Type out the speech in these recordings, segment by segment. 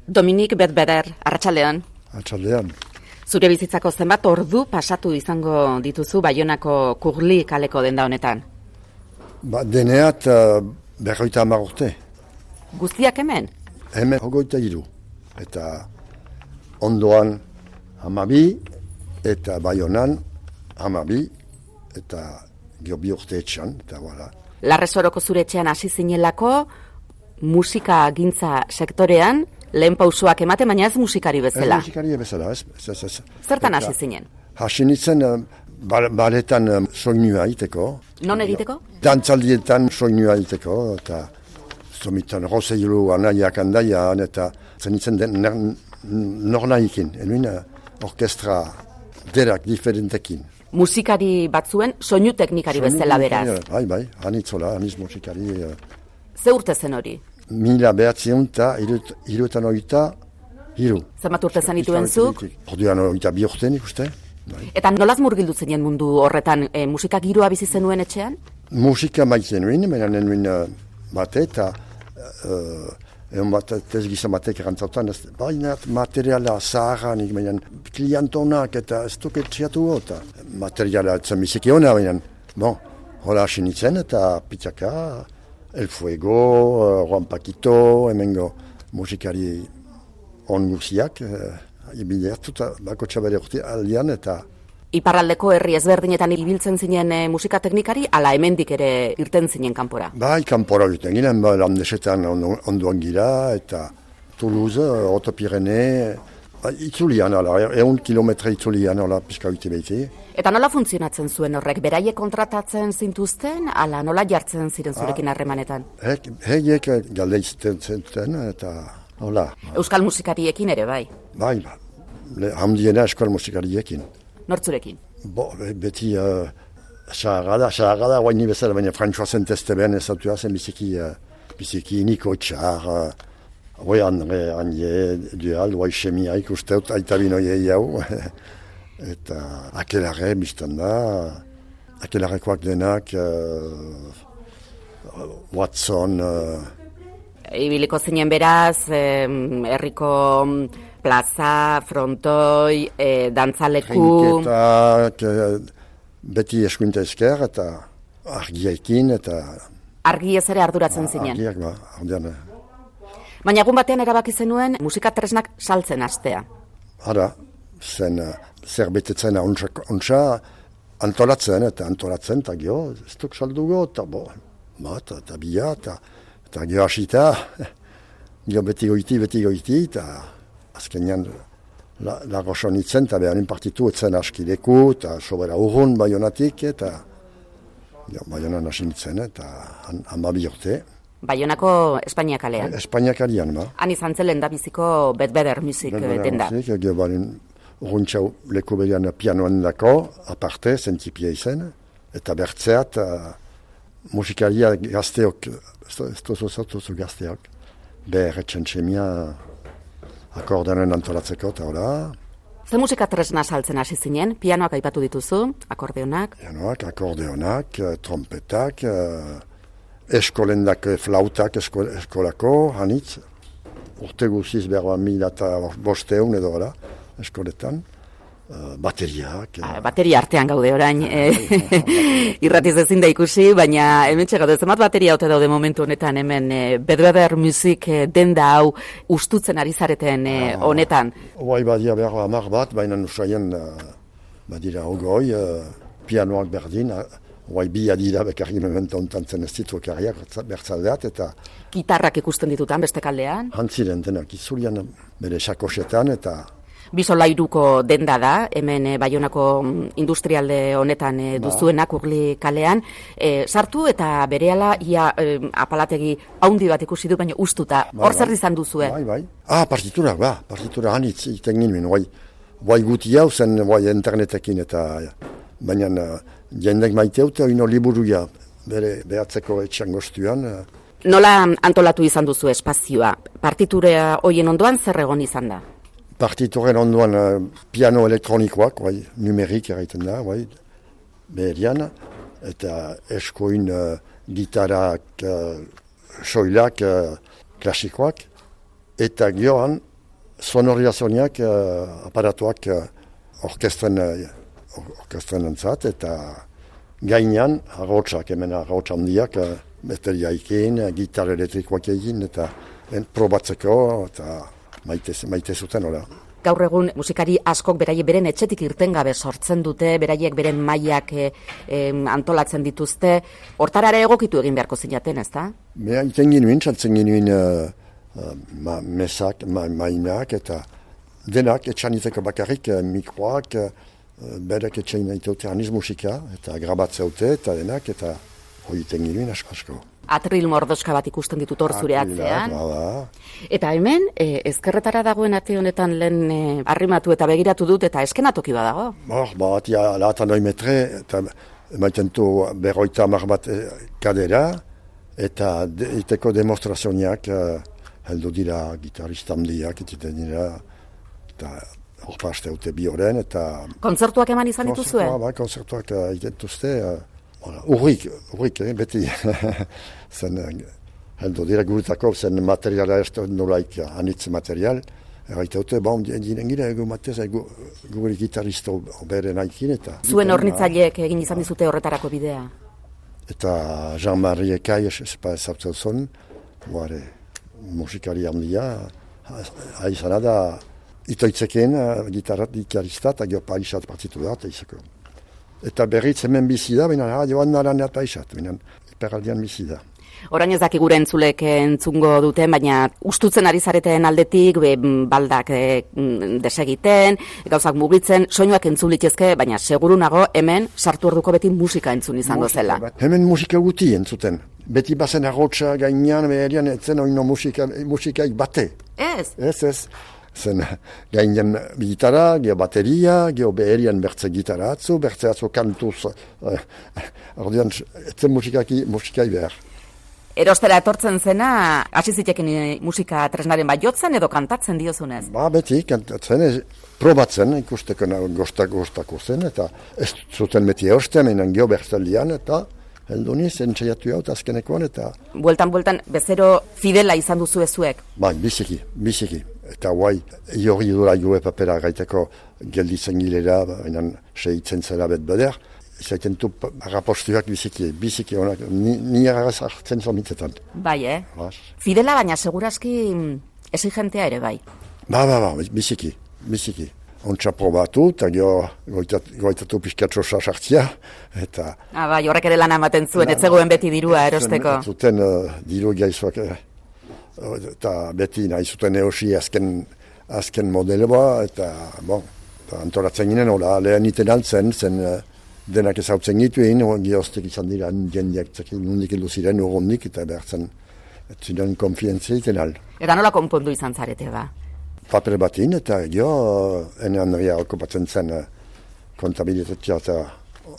Dominik Bedbeder, arratsaldean. Arratsaldean. Zure bizitzako zenbat ordu pasatu izango dituzu Baionako Kurli kaleko denda honetan? Deneat 50 urte. Guztiak hemen? Hemen 23. Eta ondoan 12, eta Baionan 12, eta gero 2 urte etxan, eta voilà. Larresoroko zure etxean hasi zinelako, musika gintza sektorean, lehen pausoak ematen, baina ez musikari bezala. Musikari bezala, ez. Zertan hasi zinen? Hasi nintzen baletan soinua egiteko. Non egiteko? Dantzaldietan soinua egiteko, eta zomitan rozeilu anaiak andaian, eta zenitzen nornaikin, enuin orkestra derak diferentekin. Musikari batzuen soinu teknikari bezala beraz. Bai, anitzola, aniz musikari. Ze urte zen hori? 1983. Zenbat urte zen dituen zuk? Orduan 22 urte nik uste. Eta nolaz murgildu zinen mundu horretan, musika giroa bizi zenuen etxean? Musika maitzen nuen, baina nuen bate, eta egon bat tezgizan batek erantzautan, baina materiala zaharranik, baina klientonak eta ez duket txiatu gota. Materiala etzen biziki hona, baina, hola hasi nintzen eta pitzaka, El Fuego, Juan Paquito, hemengo musikari on guziak, ibilertuta bako txabere urte aldean eta... Iparraldeko herri ezberdinetan ibiltzen zinen musika teknikari, ala hemendik ere irten zinen kanpora? Bai, kanpora irten ginen, landesetan onduan gira, eta Toulouse, Otopirene, itzulian, 100 kilometre itzulian, pizka uite behiti. Eta nola funtzionatzen zuen horrek? Beraiek kontratatzen zintuzten, ala nola jartzen ziren zurekin harremanetan? Heiek galdeizten zenten, eta hola. Euskal musikariekin ere, bai? Bai, handiena euskal musikariekin. Nortzurekin? Beti xaragada, guaini bezala, baina François Saint-Esteban ezatua zen biziki Niko Txar, Andre, Anie, Dual, Xemia ikusteut, aita binoiei hau. Eta akelarre biztan da, akelarrekoak denak, Watson... Ibiliko zinen beraz, herriko plaza, frontoi, dantzaleku... Trinketak, beti eskuinta esker, eta argiekin, eta... Argiez ere arduratzen zinen? Argiak, ardian. Baina egun batean erabaki zenuen musika tresnak saltzen hastea. Hara, zen zerbetetzen ontsa antolatzen, eta gero, ez duk saldugo, eta eta bia, eta gero hasita, gero beti goiti, eta azkenean lagosan itzen, eta beharin partitu etzen askideku, eta sobera urrun Baionatik, eta Baionan hasi nitzen, eta 12 urte. Baionako Espainia kalean? Espainia kalean, Han izan zelen da biziko Bedbeder Music denda? Gero barin urruntxau leku berean pianoan dako, aparte, zentipia izen, eta bertzeat musikaria gazteok, ez tozu gazteok, berretxen txemia akordeonen antolatzeko, eta hola. Ze musika tresna saltzen hasi zinen? Pianoak aipatu dituzu, akordeonak? Pianoak, akordeonak, trompetak, eskolendak flautak eskolako, hanitz, urte guziz berba 1500 edo gara, eskoletan, bateriak. Bateria artean gaude orain, irratiz ezin da ikusi, baina hemen txegatu, zenbat bateria haute daude momentu honetan hemen Bedbeder Music denda hau ustutzen ari zareten honetan. Hoai badia berba 10 bat, baina nusaien badira ogoi, pianoak berdin, hoai bi adira bekarri memento ontantzen ez ditu ekarriak bertzaldeat, eta... Gitarrak ikusten ditutan beste kaldean? Hantziren denak izulian bere sakosetan, eta... Bisolairuko denda da, hemen Baionako industrialde honetan duzuenak Kurli kalean. Sartu eta berehala ia apalategi haundi bat ikusi du, baina ustuta. Hor zer izan duzue? Bai. Partitura hanitz iten ginen, bai guti hau zen internetekin, eta baina jendek maiteute oino liburuia bere behatzeko etxan goztuan. Nola antolatu izan duzu espazioa? Partitura hoien ondoan zer egon izan da? Partituren ondoan piano elektronikoak, numerik erraiten da, beherian, eta eskoin gitarak, soilak, klasikoak, eta gioan sonorizazioak, aparatuak orkestren entzat, eta gainean arrotsak, hemen arrots handiak, bateriaikin, gitar elektrikoak egin, eta probatzeko, eta maite zuten, hola. Gaur egun musikari askok beraiek beren etxetik irten gabe sortzen dute, beraiek beren mailak antolatzen dituzte, hortarara egokitu egin beharko zinaten, ezta? Beha, iten ginuen, txaltzen ginuen mesak, mainak, eta denak etxaniteko bakarrik mikroak, berek etxain nahi aniz musika, eta grabatzeute, eta denak, eta hori iten ginuen asko. Atril mordoska bat ikusten ditut hor zure atzean. Bada. Eta hemen, ezkerretara dagoen ate honetan lehen arrimatu eta begiratu dut, eta eskenatoki badago. Atia latan 2 metre, eta emaiten du 50 bat kadera, eta iteko demonstrazioak heldu dira gitarista handiak, etiten dira, eta hor paste haute bi horren, eta... Kontzertuak eman izan dituzue? Kontzertuak egiten duzte, urrik, beti. Zen heldu dira guretako, zen materiala ez nolaik anitz material, erraitaute, dinen gira egu matez, gure gitarista bere nahikin, eta... Zuen hornitzaileek egin izan dizute horretarako bidea? Eta Jean-Marie Ekai, ezautzen zuen, musikari handia, haizana da, itoitzeken gitarista, eta gero paisat partitu da, eta izako. Eta berriz hemen bizi da, baina joan naran eta paisat, baina hiperaldian bizi da. Orain ez daki gure entzulek entzungo duten, baina ustutzen ari zareten aldetik, baldak desegiten, gauzak mugitzen, soinuak entzun litezke, baina seguru nago hemen sartu orduko beti musika entzun izango zela. Hemen musika guti entzuten. Beti bazen arrotsa gainean, beherian etzen oino musikaik bate. Ez. Zen gainean gitara, geho bateria, geho beherian bertze gitara atzu kantuz, ordean etzen musikai behar. Erostera etortzen zena, hasi zitekin musika tresnaren bat jotzen edo kantatzen diozunez? Beti kantatzen, probatzen ikusteko gostako zen, eta ez zuten beti erosten, menan geho bertzelian, eta heldu niz, entxaiatu hau, azkenekoan, eta... Bueltan, bezero fidela izan duzu ezuek? Biziki. Eta guai, jorri dura goe papera gaiteko gelditzen gilera, menan segitzen zela bet beder, zaiten tu rapostuak biziki honak, ni agaz hartzen zomitzetan. Bai, Fidela, baina seguraski exigentea ere bai. Biziki. Ontsa probatu, eta goitatu pixkatxo sartzia, eta... Horrek ere lan ematen zuen, ez zegoen beti dirua erosteko. Zuten diru gaizuak, eta beti nahi zuten eosi azken modeloa, eta antolatzen ginen, lehen iten altzen, zen denak ezautzen gituen, gioztek izan dira jendeak nondik heldu ziren urrondik, eta behartzen ziren konfientzia iten al. Eta nola konpondu izan zarete ba? Paper batin, eta ene Andrea okupatzen zen kontabilitatea eta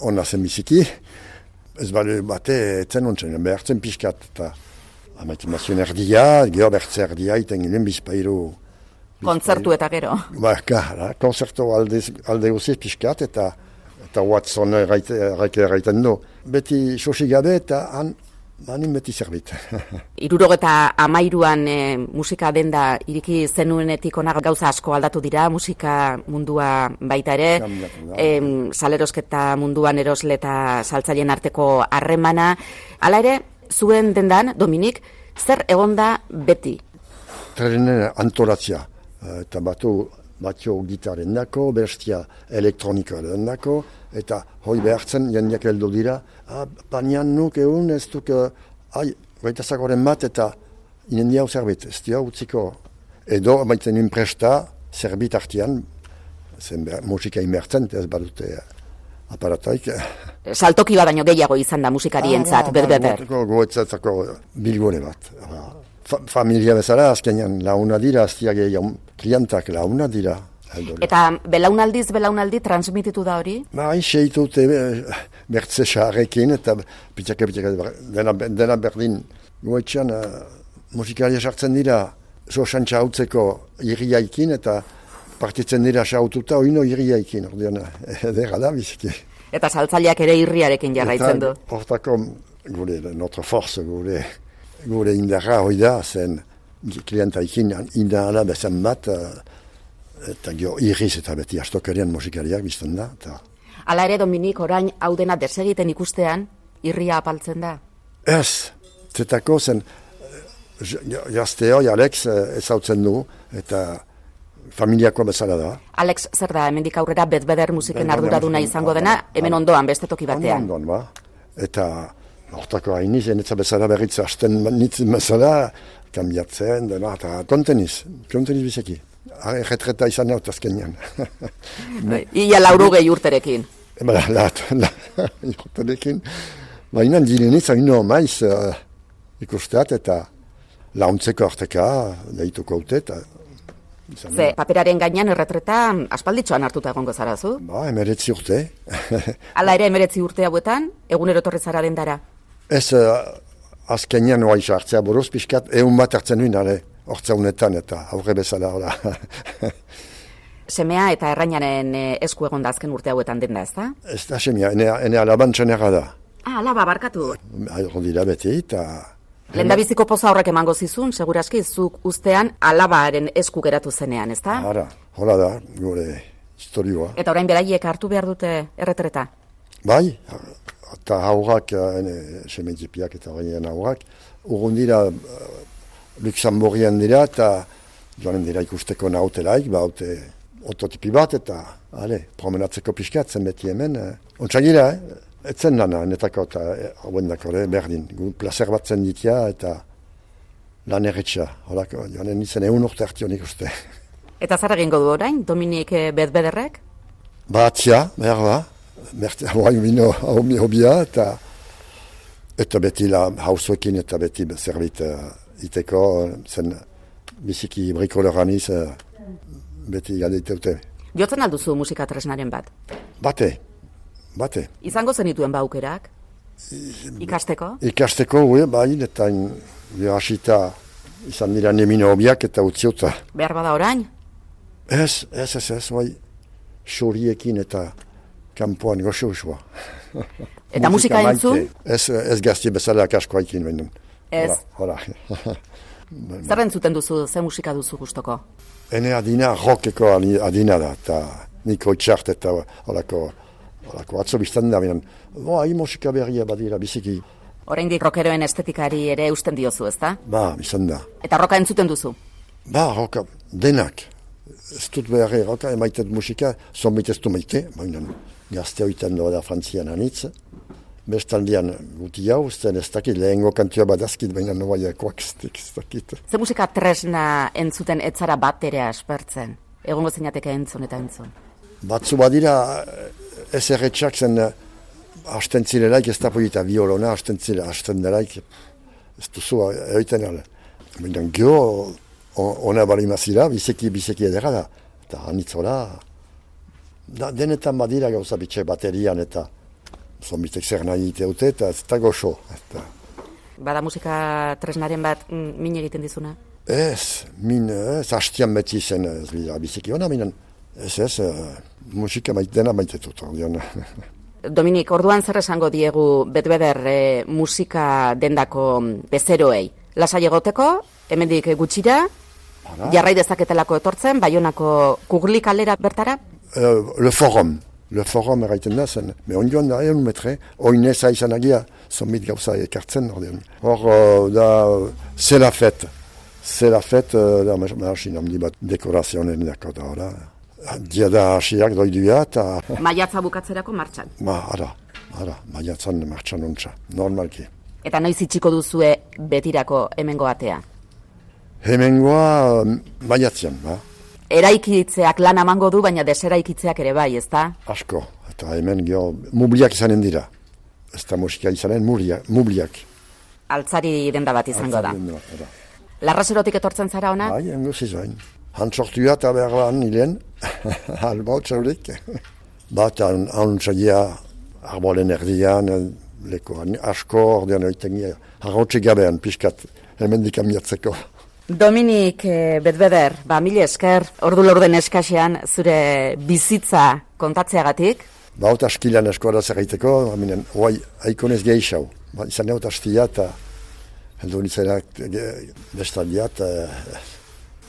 ona zen biziki. Ez bale bate, etzen ontzen, behartzen pixkat, eta amatimazioen erdia, geho bertze erdia, iten ginen bizpairu. Kontzertu eta gero? Kontzertu alde guziz pixkat, eta Watson erraiten du. Beti sosi gabe, eta hanin beti zerbit. 73an musika denda iriki zenuenetik onak gauza asko aldatu dira, musika mundua baita ere, salerosketa munduan erosle eta saltzaileen arteko harremana. Hala ere, zuen dendan, Dominik, zer egonda beti? Trenen antolatzia, eta batio gitaren dako, bestia elektronikoaren dako, eta hoi behartzen jendeak heldu dira, panian nuk egun ez duk, gaitazakoren bat eta inendia hau zerbit, ez dia utziko. Edo, baitzen nuen presta, zerbit artian, zen musika imertzen, ez badute aparataik. Saltoki badaino gehiago izan da musikarientzat, berber. Goetzatzako bilgore bat. Familia bezala, azkenean launa dira, aztia gehiago, klientak launa dira. Eta belaunaldi transmititu da hori? Seitute bertze xarrekin eta pitxake dena berdin. Goetxean musikaria sartzen dira soxantxa hautzeko irriaikin eta partitzen dira xaututa oino irriaikin. Edera da biziki. Eta saltzaileak ere irriarekin jarraitzen du. Hortako gure notre force, gure indarra hoi da, zen klienta ikin indala bezan bat, eta gio irriz eta beti astokerian musikariak bizten da. Hala ere, Dominik, orain hau dena desegiten ikustean, irria apaltzen da? Ez, zetako zen, jazteoi Alex ezautzen du, eta familiakoa bezala da. Alex, zer da, hemendik aurrera Bedbeder musiken arduraduna izango dena, hemen ondoan, beste toki batean. Ondoan, ba. Eta hortako hainiz, enetza bezala berritza hasten nitzen bezala, kambiatzen, dena, eta konteniz bizeki. Erretreta izan naut azkenean. Ia 80 urterekin. Urterekin. Baina direnitz, haino maiz ikusteat eta launtzeko arteka, deituko haute, eta ze, paperaren gainean erretreta aspalditxoan hartuta egongo zara zu? Ba, 19 urte. Hala ere 19 urte hauetan, egunero torre zara dendara? Ez, azkenean oa isa hartzea buruz, pixkat, egun bat hartzen nuen, hortza honetan eta aurre bezala, hola. Semea eta errainaren esku egon da azken urte hauetan denda, ez da? Ez da semea, ene alaban txenera da. Alaba, barkatu. Hor dira beti, eta... Lendabiziko poza horrek emango zizun, seguraski, zuk ustean alabaren esku geratu zenean, ez da? Hola da, gure historioa. Eta orain beraiek hartu behar dute erretreta? Bai, eta haurrak, semetipiak eta horrein haurrak, urrun dira, Luxemburgian dira, eta joanen dira ikusteko nautelaik, haute ototipi bat, eta promenatzeko pixkatzen beti hemen. Ontsagira, etzen lana, netako eta hauen dako, berdin. Plazer batzen ditia eta lan erretxa. Horako, joanen izan urte hartion ikuste. Eta zer egingo du orain, Dominik Bedbederrek? Batzia, behar da. Hauain bino hobia, eta beti hauzuekin eta beti zerbait iteko, zen biziki brikoloraniz beti galdeiteute. Jotzen alduzu musika tresnaren bat? Bate. Izango zenituen aukerak? Ikasteko? Ikasteko, bai, eta hasita izan dira nemino hobiak eta utziota. Behar bada orain? Ez, bai, xuriekin eta kanpoan goxo-goxoa. Eta musika entzun? Ez gazti bezala kaskoa ikin behin. Ez? Hola. Zer entzuten duzu, ze musika duzu gustoko? Ene adina, rockeko adina da, eta niko itxart eta holako atzo biztan da, binen, musika berria badira, biziki. Oraindik rockeroen estetikari ere usten diozu, ez da? Ba, biztan da. Eta roka entzuten duzu? Ba, roka, denak. Ez dut beharri roka, emaitet musika, zonbait ez du maite, baina gazte hoiten doa da Frantzian anitz. Bestaldian guti hau, ez dakit, lehengo kantua badazkit, baina noaiakoak ez dakit. Ze musika tresna entzuten etzara bat ere aspertzen? Egongo zeinateke entzun eta entzun? Batzu badira, ez erretxak zen hasten zirelaik, ez da polita violona, hasten delaik, ez duzu, eoiten ala. Baina gio, ona balimazira, bizeki edera da. Eta anitzola, denetan badira gauza bitxe baterian eta zonbitek zer nahi iteute eta ez da goxo. Bada musika tresnaren bat min egiten dizuna? Ez, hastian beti zen ez bida bizeki hona, minen. Ez, musika dena maitetut. Dominik, orduan zer esango diegu Bedbeder musika dendako bezeroei? Lasai egoteko, hemendik gutxira, jarrai dezaketelako etortzen, Baionako Kugli kalera bertara? Le forum erraiten da zen. Onjoan da, metre, oineza izan agia, zonbit gauza ekartzen. Hor, da, c'est la fête, da, masin handi bat dekorazionen dako da, hori. Dia da hasiak doiduia eta... Maiatza bukatzerako martxan? Maiatzan martxan ontsa, normalki. Eta noiz itxiko duzue betirako hemengo atea? Hemengoa maiatzean, ba. Eraikitzeak lan amango du, baina deseraikitzeak ere bai, ez da? Asko, eta hemen mubliak izanen dira. Ez da musika izanen, mubliak. Altzari denda bat izango da. Larraserotik etortzen zara ona? Bai, engoz izain. Hantzortua eta behar lan hilen, albau txaulik. Bat, hantzagia arbolen erdian, lekoan asko, ordean oitengia, harrotxe gabean, pixkat, hemen dikamiatzeko. Dominik Bedbeder, mila esker, ordu lorden eskasean zure bizitza kontatzeagatik. Ot askilan eskoara zerraiteko, oai aikonez gehiago. Izan egot astia eta heldu nitzenak bestaliat,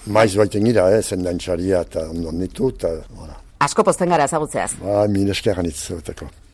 maiz baiten gira, zendantxaria eta ondon ditu, eta, Asko posten gara ezagutzeaz. Min eskeran itzuteko.